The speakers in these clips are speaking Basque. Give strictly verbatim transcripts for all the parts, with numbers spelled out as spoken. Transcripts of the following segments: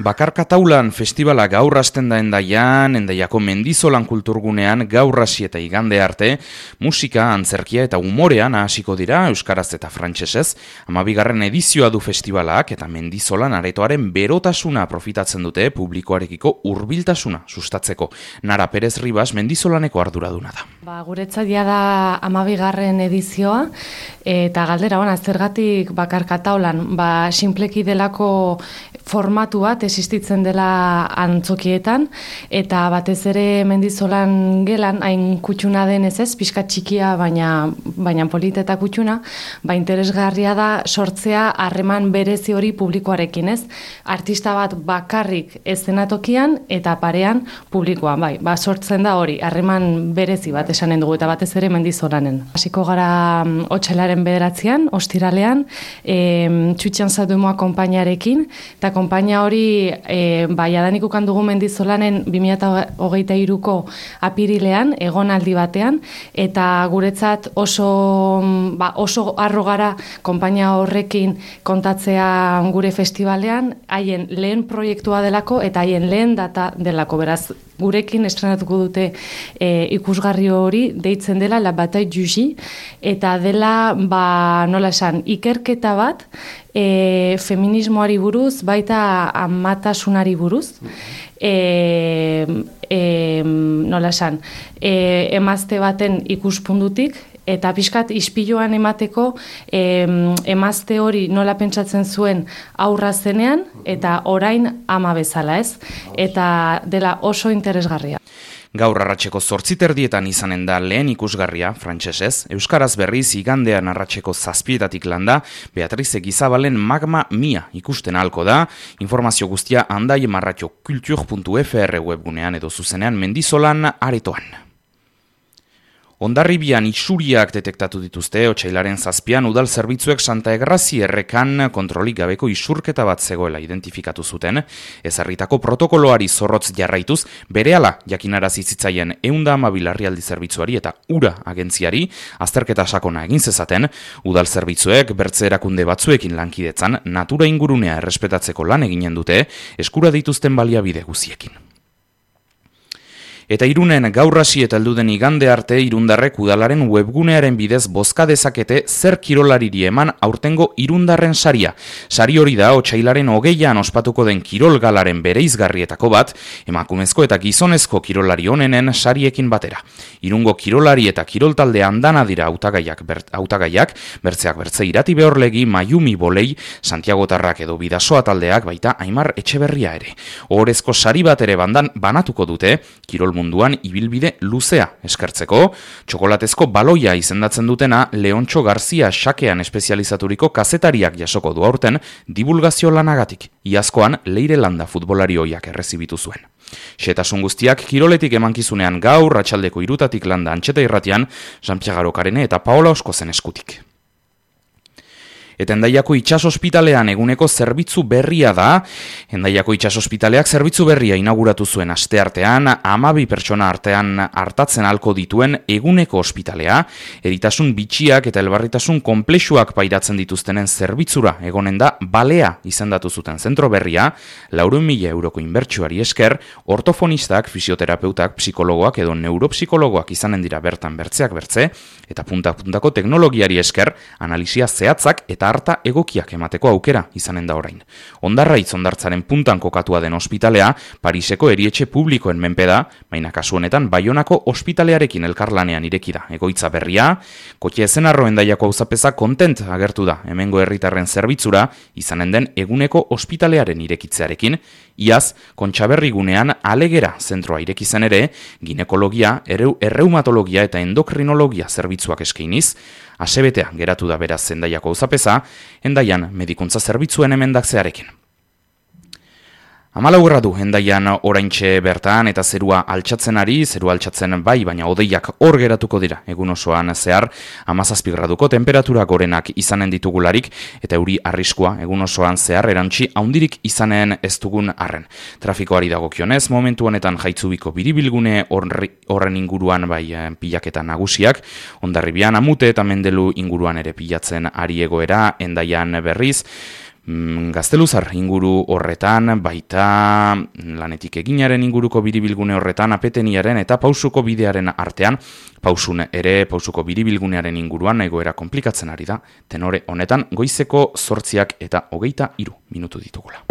Bakarkataulan festivala gaur hasten da Hendaian, Hendaiako Mendizolan kulturgunean gaur hasi eta igande arte, musika, antzerkia eta umorean hasiko dira euskaraz eta frantsesez. Hamabigarren edizioa du festivalak eta Mendizolan aretoaren berotasuna profitatzen dute publikoarekiko hurbiltasuna sustatzeko. Nara Perez Ribas Mendizolaneko arduraduna da. Ba, guretzat ja da hamabigarren edizioa eta galdera ona zergatik bakarkataulan, ba sinpleki delako formatu bat existitzen dela antzokietan eta batez ere Mendizolan gelan hain kutxuna denez ez, pixka txikia baina baina polita eta kutxuna, ba interesgarria da sortzea harreman berezi hori publikoarekin, ez? Artista bat bakarrik eszenatokian eta parean publikoan, bai, ba sortzen da hori, harreman berezi bat esanen dugu eta batez ere Mendizolanen. Hasiko gara otsailaren bederatzian, ostiralean, e, Txutxan Zadumoa konpainiarekin eta konpainia hori e, ba, jadanik ukan dugu Mendizolanen bi mila hogeita hiruko apirilean, egonaldi batean, eta guretzat oso, ba, oso arro gara konpainia horrekin kontatzea gure festivalean, haien lehen proiektua delako eta haien lehen data delako, beraz, gurekin estrenatuko dute e, ikusgarri hori deitzen dela La Bataille du J, eta dela, ba, nola esan, ikerketa bat, e, feminismoari buruz, baita amatasunari buruz, e, e, nola esan, e, emazte baten ikuspuntutik, eta pixkat ispiluan emateko e, emazte hori nola pentsatzen zuen aurra zenean, eta orain ama bezala, ez? Eta dela oso interesgarria. Gaur arratseko zortzi terdietan izanen da lehen ikusgarria, frantsesez, euskaraz berriz igandean arratseko zazpietatik landa, Beatriz Egizabalen Magma Mia ikusten ahalko da, informazio guztia Handai marratxo kultur puntu f r webgunean edo zuzenean Mendizolan aretoan. Hondarribian isuriak detektatu dituzte, otsailaren zazpian udal zerbitzuek Santa Egrazi errekan kontrolik gabeko isurketa bat zegoela identifikatu zuten, ezarritako protokoloari zorrotz jarraituz, berehala jakinarazi zitzaien ehun eta hamabi larrialdi zerbitzuari eta ura agentziari, azterketa sakona egin zezaten, udal zerbitzuek bertze erakunde batzuekin lankidetzan, natura ingurunea errespetatzeko lan eginen dute, eskura dituzten baliabide guziekin. Eta Irunen gaur hasi eta heldu den igande arte Irundarrek udalaren webgunearen bidez bozka dezakete zer kirolariri eman aurtengo Irundarren saria. Sari hori da otsailaren hogeian ospatuko den kirolgalaren bereizgarrietako bat, emakumezko eta gizonezko kirolari onenen sariekin batera. Irungo kirolari eta kiroltalde andana dira hautagaiak bert, hautagaiak, bertzeak bertze Irati Behorlegi, Mayumi Bolei, Santiago Tarrak edo Bidasoa taldeak baita Aimar Etxeberria ere. Ohorezko sari bat ere bandan banatuko dute, kirol munduan ibilbide luzea eskertzeko, txokolatezko baloia izendatzen dutena Leontxo Garzia xakean espezializaturiko kazetariak jasoko du aurten divulgazio lanagatik, iazkoan Leire Landa futbolari ohiak errezibitu zuen. Xetasun guztiak kiroletik emankizunean gaur, atxaldeko irutatik landa Antxeta Irratian, Jean-Pierre Garokarene eta Paola Oskozen eskutik. Eta Hendaiako itxasospitalean eguneko zerbitzu berria da. Hendaiako itxasospitaleak zerbitzu berria inauguratu zuen asteartean, hamabi pertsona artean hartatzen halko dituen eguneko ospitalea, eritasun bitxiak eta elbarritasun konplexuak pairatzen dituztenen zerbitzura egonen da balea izendatu zuten zentro berria, laurehun mila euroko inbertsioari esker, ortofonistak, fisioterapeutak, psikologoak edo neuropsikologoak izanen dira bertan bertzeak bertze, eta punta-puntako teknologiari esker, analisia zehatzak eta harta egokiak emateko aukera izanen da orain. Hondarraitz hondartzaren puntan kokatua den ospitalea, Pariseko erietxe publikoen menpe da, baina kasu honetan Baionako ospitalearekin elkarlanean ireki da. Egoitza berria, Kotia Ezenarro Hendaiako auzapeza kontent agertu da hemengo herritarren zerbitzura izanen den eguneko ospitalearen irekitzearekin, iaz Kontxaberri gunean Alegera zentroa ireki zen ere, ginekologia, erreumatologia eta endokrinologia zerbitzuak eskainiz, asebetea geratu da beraz Hendaiako auzapeza, Hendaian medikuntza zerbitzuen emendakzearekin. Hamalau gradu Hendaian oraintxe bertan eta zerua altxatzen ari, zerua altxatzen bai, baina hodeiak hor geratuko dira egun osoan zehar, hamazazpi graduko temperatura gorenak izanen ditugularik eta euri arriskua egun osoan zehar erantzi handirik izanen ez dugun arren. Trafikoari dagokionez, momentu honetan Jaitzubiko biribilgune horren inguruan bai pilaketa nagusiak, Hondarribian Amute eta Mendelu inguruan ere pilatzen ari egoera, Hendaian berriz, Gazteluzar inguru horretan, baita lanetik eginaren inguruko biribilgune horretan, apeteniaren eta pausuko bidearen artean, pausun ere pausuko biribilgunearen inguruan egoera komplikatzen ari da, tenore honetan goizeko zortziak eta hogeita hiru minutu ditugula.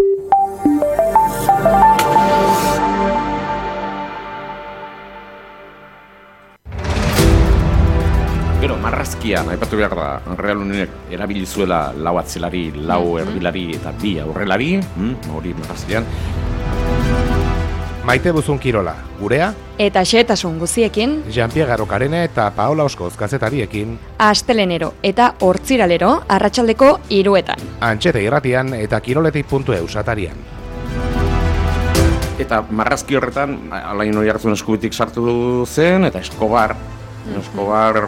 Gero, marrazkia, aipatu behar da, Real Unionek erabili zuela lau atzelari, lau erdilari eta bi aurrelari, mm, hori marrazkian. Maite Buzun Kirola, gurea? Eta xehetasun guziekin, Jean-Pierre Arokarene eta Paola Oskoz kazetariekin, astelenero eta hortziralero arratsaldeko hiruetan. Antxete irratian eta kiroletik puntu eus atarian. Eta marrazki horretan, Alain Oiartzun eskubitik sartu zen, eta Escobar, Escobar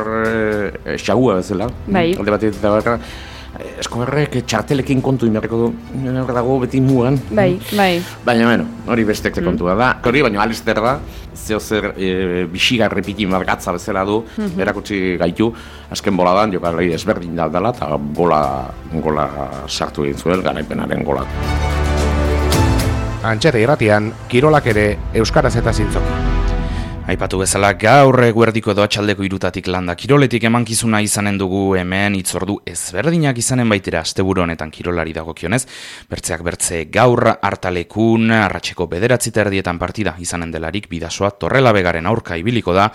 e, xagua bezala. Bai. Alde batetik eta baka, Escobarrek txartelekin kontu inberreko du, dago beti mugan. Bai, bai. Baina, bueno, hori bestek kontua da. Hori, baina Alister da, zeo zer e, bixigarri piti margatza bezala du, mm-hmm. erakutsi gaitu, azken boladan, jokalari ezberdin da dela, eta gola, gola sartu egin zuen, garaipenaren gola. Antxete irratian, kirolak ere euskaraz eta zintzoki. Aipatu bezala gaur eguerdiko edo atxaldeko irutatik landa kiroletik emankizuna izanen dugu hemen hitzordu ezberdinak izanen baitera asteburu honetan kirolari dagokionez. Bertzeak bertze gaur hartalekun arratseko bederatzi eta erdietan partida izanen delarik Bidasoa Torrelabegaren aurka ibiliko da.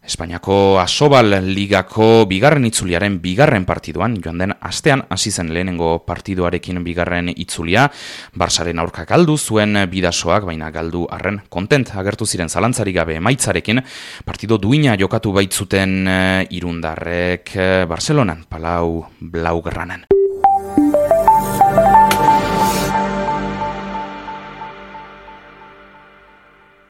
Espainiako Asobal Ligako bigarren itzuliaren bigarren partiduan, joan den astean hasi zen lehenengo partiduarekin bigarren itzulia, Barsaren aurka galdu zuen Bidasoak, baina galdu arren kontent agertu ziren zalantzarik gabe emaitzarekin, partido duina jokatu baitzuten irundarrek Barcelonan, Palau Blaugranen.